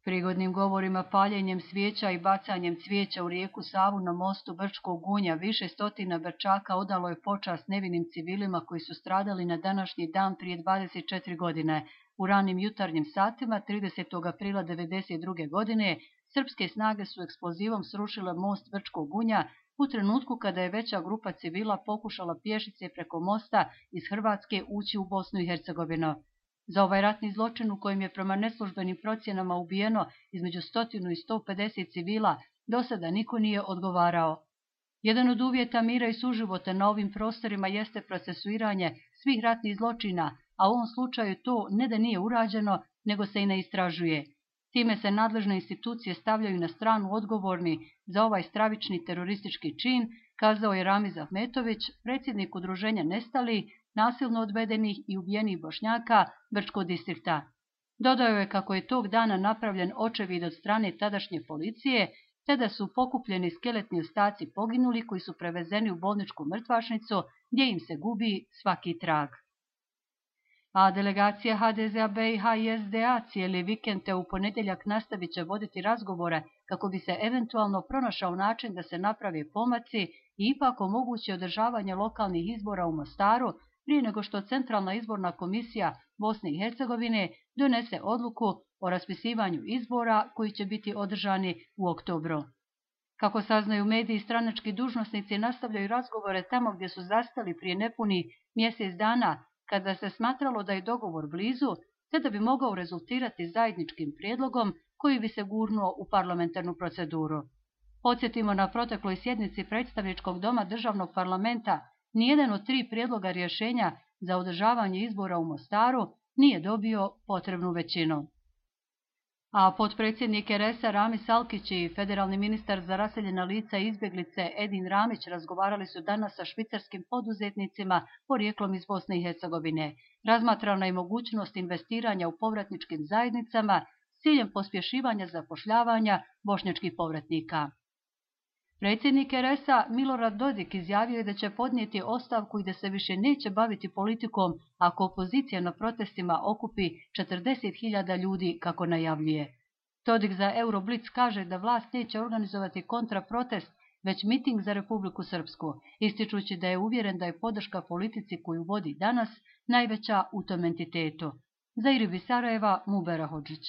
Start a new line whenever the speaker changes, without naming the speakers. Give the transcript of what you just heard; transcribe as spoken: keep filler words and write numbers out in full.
Prigodnim govorima, paljenjem svijeća i bacanjem cvijeća u rijeku Savu na mostu Brčkog Gunja više stotina Brčaka odalo je počast nevinim civilima koji su stradali na današnji dan prije dvadeset četiri godine. U ranim jutarnjim satima tridesetog aprila devedeset druge. godine srpske snage su eksplozivom srušile most Brčkog Gunja u trenutku kada je veća grupa civila pokušala pješice preko mosta iz Hrvatske ući u Bosnu i Hercegovinu. Za ovaj ratni zločin u kojem je prema neslužbenim procjenama ubijeno između stotinu i sto pedeset civila, do sada niko nije odgovarao. Jedan od uvjeta mira i suživota na ovim prostorima jeste procesuiranje svih ratnih zločina, a u ovom slučaju to ne da nije urađeno, nego se i ne istražuje. Time se nadležne institucije stavljaju na stranu odgovorni za ovaj stravični teroristički čin, kazao je Ramiz Ahmetović, predsjednik udruženja Nestali, nasilno odvedenih i ubijenih Bošnjaka Brčkog distrikta. Dodao je kako je tog dana napravljen očevid od strane tadašnje policije, te da su pokupljeni skeletni ostaci poginuli koji su prevezeni u bolničku mrtvačnicu gdje im se gubi svaki trag. A delegacija ha de zea, be i ha i es de a cijeli vikend te u ponedjeljak nastavit će voditi razgovore kako bi se eventualno pronašao način da se naprave pomaci i ipak omogući održavanje lokalnih izbora u Mostaru prije nego što Centralna izborna komisija Bosne i Hercegovine donese odluku o raspisivanju izbora koji će biti održani u oktobru. Kako saznaju mediji, stranački dužnosnici nastavljaju razgovore tamo gdje su zastali prije nepuni mjesec dana, kada se smatralo da je dogovor blizu, te da bi mogao rezultirati zajedničkim prijedlogom koji bi se gurnuo u parlamentarnu proceduru. Podsjetimo, na protekloj sjednici predstavničkog doma državnog parlamenta nijedan od tri prijedloga rješenja za održavanje izbora u Mostaru nije dobio potrebnu većinu. A potpredsjednik er es a Ramis Alkić i federalni ministar za raseljena lica i izbjeglice Edin Ramić razgovarali su danas sa švicarskim poduzetnicima porijeklom iz Bosne i Hercegovine. Razmatrana je mogućnost investiranja u povratničkim zajednicama s ciljem pospješivanja zapošljavanja bošnjačkih povratnika. Predsjednik er es a Milorad Dodik izjavio je da će podnijeti ostavku i da se više neće baviti politikom ako opozicija na protestima okupi četrdeset hiljada ljudi kako najavljuje. Dodik za Euroblitz kaže da vlast neće organizovati kontraprotest, već miting za Republiku Srpsku, ističući da je uvjeren da je podrška politici koju vodi danas najveća u tom entitetu. Za Iribi Sarajeva, Mubera Hodžić.